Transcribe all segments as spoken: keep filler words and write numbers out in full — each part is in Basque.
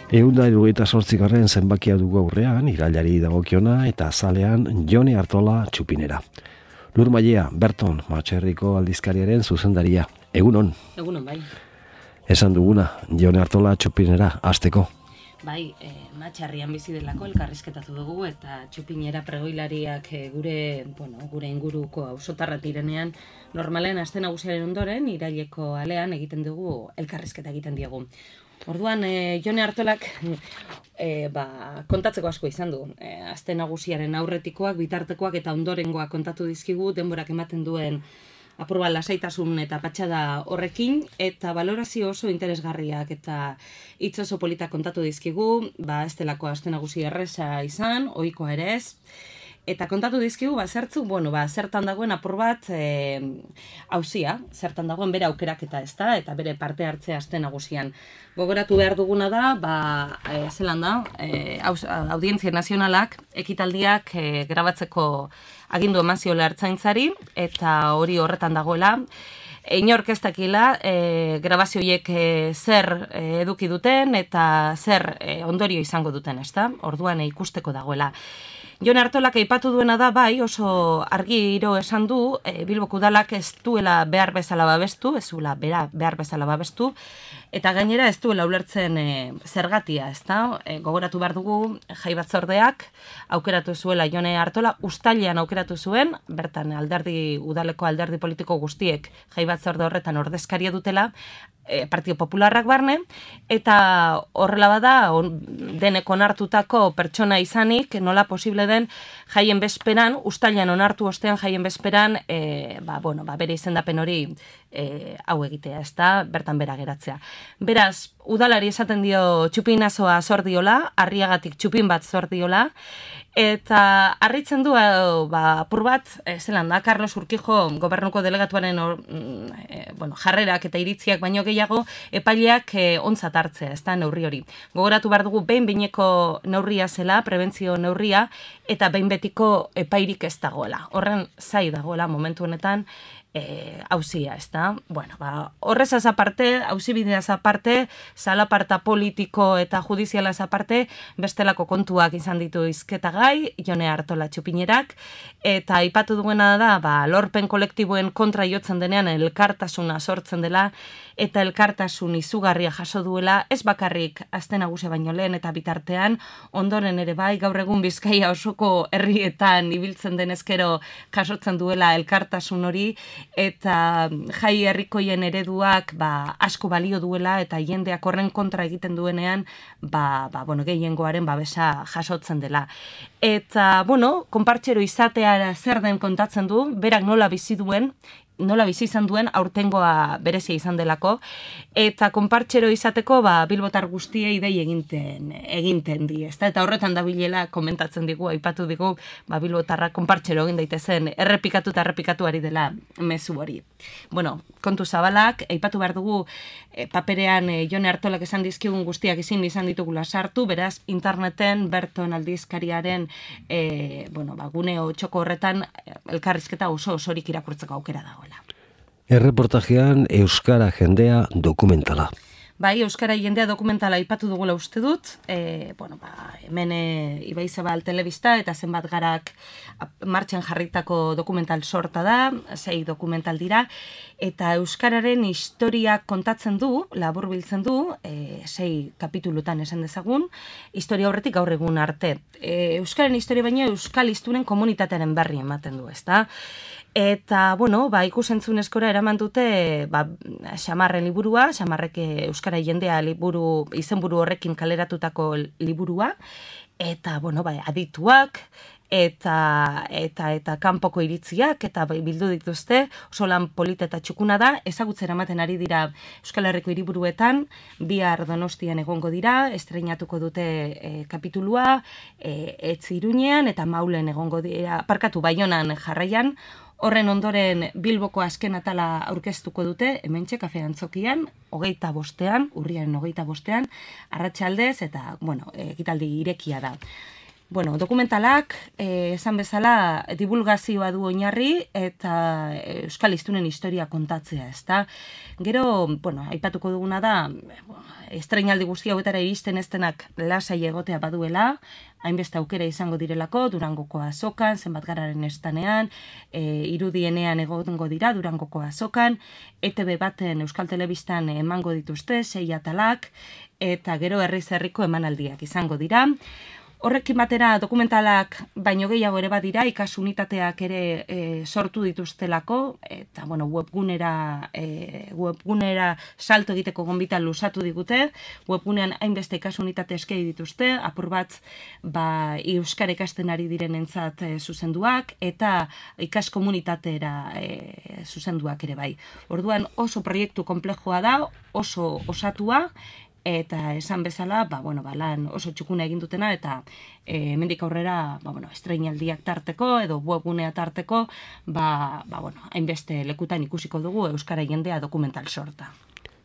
Ehun da hirurogeita zortzigarren zenbakia dugu aurrean, irailari dagokiona eta azalean Jone Artola txupinera. Lur Mailea, Berton, Matxerriko aldizkariaren zuzendaria. Egunon. Egunon, bai. Esan duguna, Jone Artola txupinera, hasteko. Bai, e, Matxarrian bizi delako elkarrizketatu dugu eta txupinera pregoilariak e, gure, bueno, gure inguruko auzotarra direnean normalen aste nagusiaren ondoren iraileko alean egiten dugu elkarrizketa egiten diegu. Orduan, e, Jone Artolak e, ba, kontatzeko asko izan du. E, aste nagusiaren aurretikoak, bitartekoak eta ondorengoak kontatu dizkigu, denborak ematen duen apurba lasaitasun eta patxada horrekin, eta balorazio oso interesgarriak eta hitz oso politak kontatu dizkigu, ba, ez delako aste nagusi erresa izan, ohikoa ere ez. Eta kontatu dizkigu, ba, zertzuk, bueno, ba, zertan dagoen apur bat e, auzia, zertan dagoen bere aukeraketa ez da, eta bere parte hartzea aste nagusian. Gogoratu behar duguna da, ba, e, zelan da, e, Audientzia Nazionalak ekitaldiak e, grabatzeko agindu eman ziola ertzaintzari, eta hori horretan dagoela. Inork ez dakila, e, grabazioiek e, zer e, eduki duten eta zer e, ondorio izango duten, ez da? Orduan e, ikusteko dagoela. Jone Artolak aipatu duena da, bai, oso argiro esan du, e, Bilboko udalak ez duela behar bezala babestu, ez duela behar bezala babestu, eta gainera ez duela ulertzen e, zergatia, ez da? E, gogoratu behar dugu, jai batzordeak aukeratu zuela Jone Artola, uztailean aukeratu zuen, bertan alderdi udaleko alderdi politiko guztiek jai batzorde horretan ordezkaria dutela, e, Partido Popularrak barne, eta horrela bada, on, denek onartutako pertsona izanik, nola posible den jaien bezperan, uztailean onartu ostean jaien bezperan, e, ba, bueno, ba, bere izendapen hori e, hau egitea, ez da, bertan bera geratzea. Beraz, udalari esaten dio txupinazoa zor diola, harriagatik txupin bat zor diola, eta harritzen du, ba, apur bat, e, zelan da, Carlos Urquijo gobernuko delegatuaren or, e, bueno, jarrerak eta iritziak baino gehiago, epaileak e, ontzat hartzea, ez da, neurri hori. Gogoratu behar dugu, behin behineko neurria zela, prebentzio neurria, eta behin betiko epairik ez dagoela. Horren zai dagoela momentu honetan, E, auzia, ez da? Bueno, ba, horrezaz aparte, auzibideaz aparte, zalaparta politiko eta judizialaz aparte, bestelako kontuak izan ditu izketagai, Jone Artola txupinerak, eta aipatu duena da, ba, lorpen kolektiboen kontra jotzen denean elkartasuna sortzen dela, eta elkartasun izugarria jaso duela, ez bakarrik aste nagusia baino lehen eta bitartean, ondoren ere bai, gaur egun Bizkaia osoko herrietan ibiltzen denezkero jasotzen duela elkartasun hori, eta jai herrikoien ereduak ba, asko balio duela eta jendeak horren kontra egiten duenean ba, ba, bueno, gehiengoaren babesa jasotzen dela. Eta, bueno, konpartxero izatea zer den kontatzen du, berak nola bizi duen, nola bizi izan duen aurtengoa berezia izan delako, eta konpartxero izateko ba, bilbotar guztiei dei eginten, eginten di, ezta? Eta horretan da bilela komentatzen digu, aipatu digu, ba, bilbotarra konpartxero egin daitezen, errepikatu eta errepikatu ari dela mezu hori. Bueno, kontu zabalak, aipatu behar dugu, e, paperean e, Jone Artolak esan dizkigun guztiak ezin izan ditugula sartu, beraz, interneten, Berton aldizkariaren, e, bueno, ba, gune txoko horretan, elkarrizketa oso osorik irakurtzeko aukera dagoela. Erreportajean Euskara jendea dokumentala. Bai, Euskara jendea dokumentala aipatu dugula uste dut, e, bueno, ba, hemen e, Ibai Zabal telebista eta zenbat garak martxan jarritako dokumental sorta da, sei dokumental dira, eta Euskararen historia kontatzen du, laburbiltzen du, e, sei kapitulutan esan dezagun, historia horretik gaur egun arte. E, Euskaren historia baino Euskal Hiztunen komunitatearen berri ematen du, ezta? Eta, bueno, ba, ikusentzunezkora eraman dute ba, Xamarren liburua, Xamarrek Euskara jendea liburu, izenburu horrekin kaleratutako liburua, eta, bueno, ba, adituak, eta, eta, eta kanpoko iritziak, eta bildu dituzte, oso lan polita eta txukuna da, ezagutzera ematen ari dira Euskal Herriko hiriburuetan, bihar Donostian egongo dira, estreinatuko dute e, kapitulua, e, Etzi Iruñean, eta Maulen egongo dira, parkatu Baionan jarraian. Horren ondoren Bilboko azken atala aurkeztuko dute, hementxe kafe antzokian, hogeita bostean, urriaren hogeita bostean, arratsaldez eta, bueno, ekitaldi irekia da. Bueno, dokumentalak, eh, esan bezala, divulgazioa du oinarri eta euskal hiztunen historia kontatzea, ezta? Gero, bueno, aipatuko duguna da, estreinaldi guzti hauetara iristen ez denak lasai egotea baduela, hainbeste aukera izango direlako, Durangoko azokan, zenbatgararen estanean, e, irudienean egongo dira Durangoko azokan, E T B baten Euskal Telebistan emango dituzte, sei atalak, eta gero herriz herriko emanaldiak izango dira. Horrekin batera dokumentalak baino gehiago ere badira, ikasunitateak ere e, sortu dituztelako, eta bueno, webgunera, e, webgunera salto egiteko gonbita luzatu digute, webgunean hainbeste ikasunitate eskei dituzte, apur bat ba, euskara ikasten ari direnentzat e, zuzenduak, eta ikaskomunitatera e, zuzenduak ere bai. Orduan oso proiektu konplexua da, oso osatua, eta esan bezala, ba, bueno, ba, lan oso txukuna egin dutena, eta e, hemendik aurrera, ba, bueno, estreinaldiak tarteko, edo webgunea tarteko, ba, ba, bueno, hainbeste lekutan ikusiko dugu euskara jendea dokumental sorta.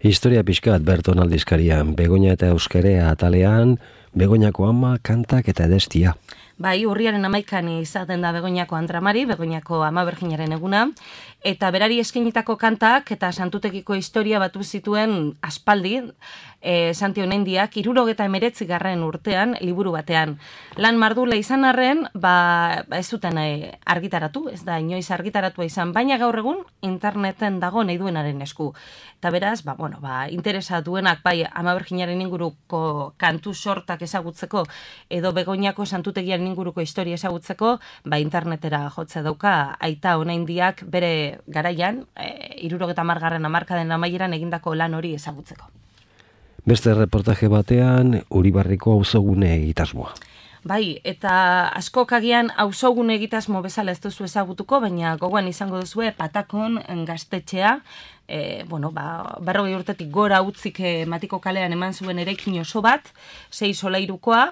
Historia pixkat Berton aldizkarian, Begoña eta Euskarea atalean, Begoñako ama, kantak eta edestia. Bai, urriaren amaikan izaten da Begoñako Andramari, Begoñako ama Berginaren eguna, eta berari eskainitako kantak eta santutekiko historia batu zituen aspaldi, e, Santi Onaindiak, hirurogeta emeretzi garren urtean, liburu batean. Lan mardula izan arren, ba, ba ez zuten e, argitaratu, ez da inoiz argitaratua izan, baina gaur egun interneten dago nahi duenaren esku. Eta beraz, ba, bueno, ba, interesa duenak bai ama Berginaren inguruko kantu sortak ezagutzeko, edo Begoñako santutegian inguruko historia ezagutzeko, ba, internetera jotze dauka aita Onaindiak bere garaian, e, hirurogeta hamargarren hamarkaden amaieran egindako lan hori ezagutzeko. Beste reportaje batean, Uribarriko auzogune egitasmoa. Bai, eta askok agian auzogune egitasmo bezala ez duzu ezagutuko, baina gogoan izango duzue Patakon gaztetxea, e, bueno, ba, berrogei urtetik gora utzik e, Matiko kalean eman zuen eraikin oso bat, sei solairukoa,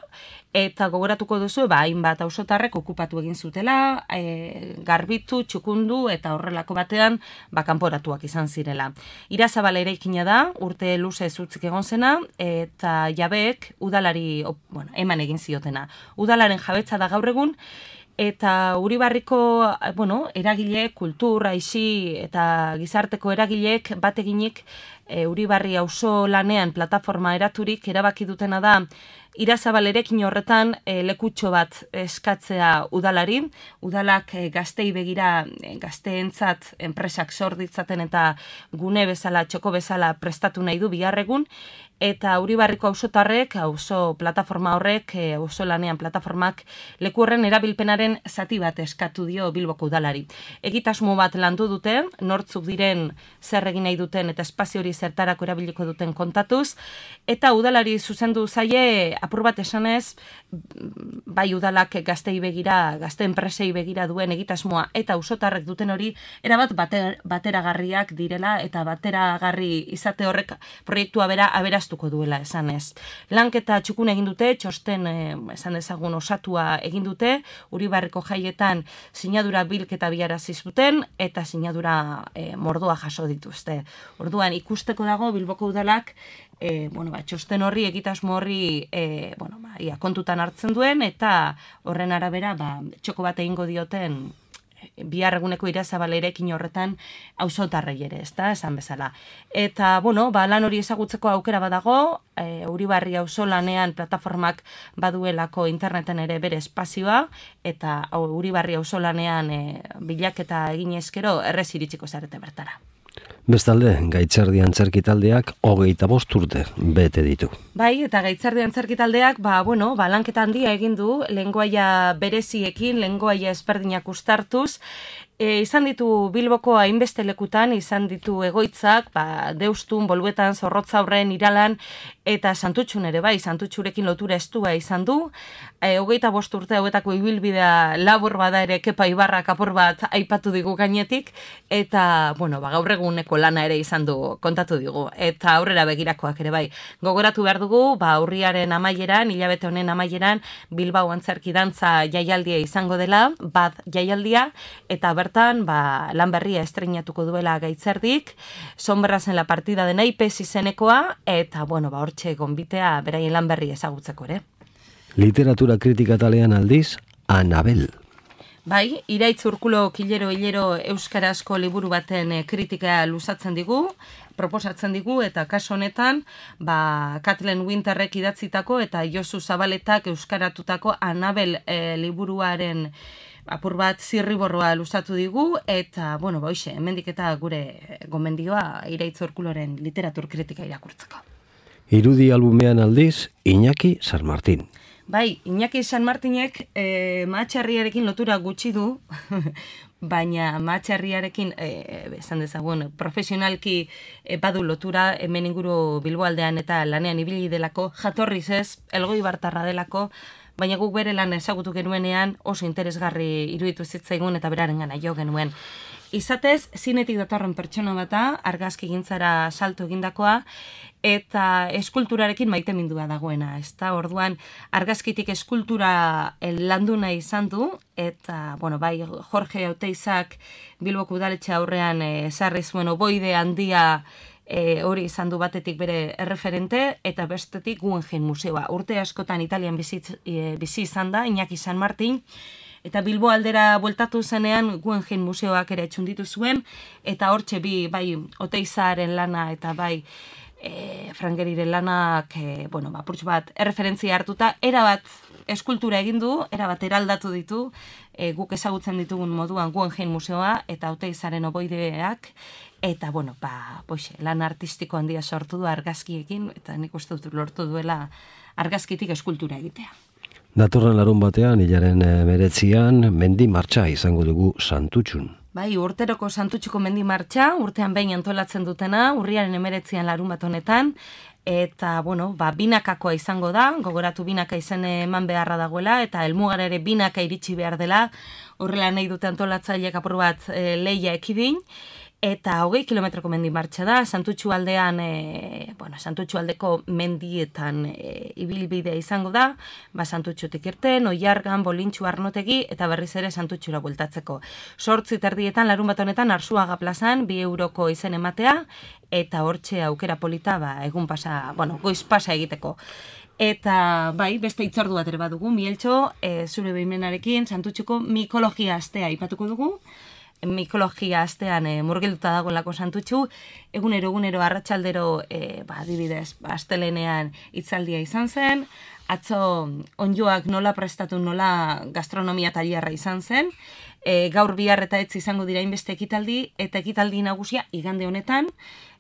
eta gogoratuko duzu, ba, hainbat auzotarrek okupatu egin zutela, e, garbitu, txukundu, eta horrelako batean, ba, kanporatuak izan zirela. Irazabal eraikina da, urte luze zutzik egon zena, eta jabeek udalari, op, bueno, eman egin ziotena. Udalaren jabetza da gaur egun, eta Uribarriko, bueno, eragile, kultur, aisi eta gizarteko eragileek bateginik e, Uribarri auzo lanean plataforma eraturik erabaki dutena da Irazabal erekin horretan e, lekutxo bat eskatzea udalari, udalak e, gaztei begira e, gazteentzat enpresak sor ditzaten eta gune bezala, txoko bezala prestatu nahi du biharregun, eta Uribarriko auzotarrek, auzo plataforma horrek, e, auzo lanean plataformak leku horren erabilpenaren zati bat eskatu dio Bilboko udalari. Egitasmo bat landu dute, nortzuk diren zer egin nahi duten eta espazio hori zertarako erabiliko duten kontatuz, eta udalari zuzendu zaie apur bat esanez, bai udalak gaztei begira, gazte enpresei begira duen egitasmoa eta auzotarrek duten hori erabat bater, bateragarriak direla eta bateragarri izate horrek proiektua bera aberastuko duela esanez. Lanketa txukun egin dute, txosten eh, esan dezagun osatua egin dute, Uribarriko jaietan sinadura bilketa biarazi zuten eta sinadura eh, mordoa jaso dituzte. Orduan ikusteko dago Bilboko udalak E, bueno, ba, txosten horri, egitasmo horri e, bueno, ba, ia, kontutan hartzen duen, eta horren arabera ba, txoko bat egingo dioten bihar eguneko Irazabal erekin horretan auzotarrei ere, ezta, esan bezala. Eta, bueno, ba, lan hori ezagutzeko aukera badago, e, Uribarri auzolanean plataformak baduelako interneten ere bere espazioa, eta Uribarri auzolanean e, bilaketa egin eskero errez iritsiko zarete bertara. Bestalde, Gaitzerdi Antzerki taldeak hogeita bost urte bete ditu. Bai, eta Gaitzerdi Antzerki taldeak, ba, bueno, ba, lanketa handia egin du, lengoaia bereziekin, lengoaia ezberdinak uztartuz, e, izan ditu Bilboko hainbeste lekutan, izan ditu egoitzak, ba, Deustun, Boluetan, Zorrotza Aurren, Iralan, eta Santutxun ere bai, Santutxurekin lotura estua izan du, e, hogeita bost urte hauetako ibilbidea labur bada ere Kepa Ibarrak apur bat aipatu digu gainetik, eta, bueno, ba, gaur eguneko lana ere izan du kontatu digu, eta aurrera begirakoak ere bai. Gogoratu behar dugu, ba, urriaren amaieran, hilabete honen amaieran, Bilbao Antzerki Dantza jaialdia izango dela, bat jaialdia, eta bertan, ba, lan berria estreinatuko duela Gaitzerdik, Sombras en la partida de naipes izenekoa, eta, bueno, ba, hortxe gonbitea beraien lan berri ezagutzeko ere. Literatura kritika talean aldiz, Anabel. Bai, Iraitz Urkulo Kilero Hilero euskarazko liburu baten kritika luzatzen digu, proposatzen digu, eta kasu honetan, ba, Kathleen Winterrek idatzitako eta Josu Zabaletak euskaratutako Anabel e, liburuaren apur bat zirriborroa luzatu digu, eta, bueno, boixe, hemendik eta gure gomendioa Iraitz Urkuloren literatur kritika irakurtzeko. Irudi albumean aldiz, Iñaki San Martin. Bai, Iñaki San Martinek e, Mahatxarriarekin lotura gutxi du, baina Mahatxarriarekin, e, esan dezagun, profesionalki e, badu lotura, hemen inguru Bilboaldean eta lanean ibili delako, jatorriz ez, Elgoi Bartarra delako, baina guk bere lan ezagutu genuenean oso interesgarri iruditu zitzaigun eta berarengana jo genuen. Izatez, zinetik datorren pertsona bata, argazki gintzara salto egindakoa, eta eskulturarekin maitemindua dagoena. Ezta, orduan, argazkitik eskultura landu nahi izan du, eta, bueno, bai, Jorge Auteizak Bilboko udaletxe aurrean ezarri zuen oboide handia e, hori izan du batetik bere erreferente, eta bestetik Guggenheim Museoa. Urte askotan Italian bizi, e, bizi izan da, Iñaki San Martin, eta Bilbo aldera bueltatu zenean Guggenheim Museoak ere txunditu zuen, eta hortxe bi, bai, Oteizaren lana eta bai, e, Frangeriren lanak, e, bueno, apurtxo bat, erreferentzia hartuta, erabat eskultura egin du, erabat eraldatu ditu, e, guk ezagutzen ditugun moduan Guggenheim Museoa eta Oteizaren oboideak, eta, bueno, ba, boixe, lan artistiko handia sortu du argazkiekin, eta nik uste dut lortu duela argazkitik eskultura egitea. Datorren larun batean, hilaren meretzian, mendi martxa izango dugu Santutxun. Bai, urteroko Santutxuko mendi martxa, urtean behin antolatzen dutena, urriaren emeretzian larun bat honetan, eta, bueno, ba, binakakoa izango da, gogoratu binaka izen eman beharra dagoela, eta helmugara ere binaka iritsi behar dela, horrela nahi dute antolatzaileak apur bat e, leia ekidin, eta hogei kilometroko mendi martxa da, Santutxu aldean, e, bueno, Santutxu aldeko mendietan e, ibilbidea izango da, ba, Santutxutik irten, Oiargan, Bolintxu, Arnotegi, eta berriz ere Santutxura bueltatzeko. Sortzi terdietan, larun bat honetan, Arzuaga plazan, bi euroko izen ematea, eta hortxe aukera polita, ba, egun pasa, bueno, goiz pasa egiteko. Eta, bai, beste hitzordu bat ere badugu, Mieltxo, e, zure behimenarekin, Santutxuko mikologia astea ipatuko dugu, mikologia astean e, murgilduta dagoelako Santutxu, egunero egunero arratsaldero e, ba, adibidez, ba, astelenean hitzaldia izan zen, atzo onjoak nola prestatu, nola gastronomia tailerra izan zen, e, gaur bihar eta etzi izango dira inbeste ekitaldi, eta ekitaldi nagusia igande honetan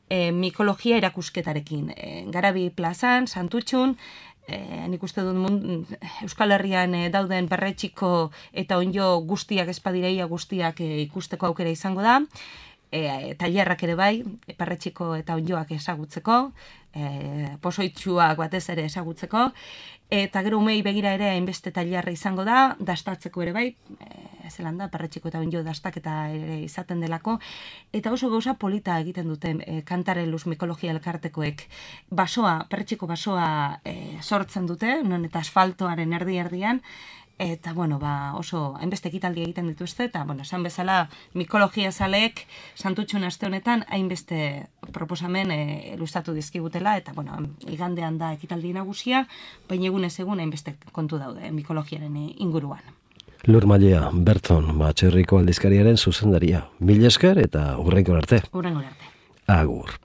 e, mikologia erakusketarekin. E, Garabi plazan, Santutxun, E, nik uste dut mund, Euskal Herrian e, dauden perretxiko eta onjo guztiak espadireia guztiak e, ikusteko aukera izango da, e, tailerrak ere bai, perretxiko eta onjoak ezagutzeko, e, pozoitxuak batez ere ezagutzeko, eta gero umei begira ere hainbeste tailerra izango da, dastatzeko ere bai, e, zelan da, perretxiko eta onjo dastaketa ere izaten delako, eta oso gauza polita egiten duten e, Kantareluz mikologia elkartekoek. Basoa, perretxiko basoa e, sortzen dute, non eta asfaltoaren erdi-erdian, eta, bueno, ba, oso hainbeste ekitaldi egiten dituzte, eta, bueno, esan bezala mikologia zaleek Santutxun aste honetan hainbeste proposamen e, luzatu dizkigutela, eta, bueno, igandean da ekitaldi nagusia, baina egunez egun hainbeste kontu daude mikologiaren inguruan. Lur Mailea, Berton, Batxerriko aldizkariaren zuzendaria. Mil esker eta hurrengo arte. Hurrengo arte. Agur.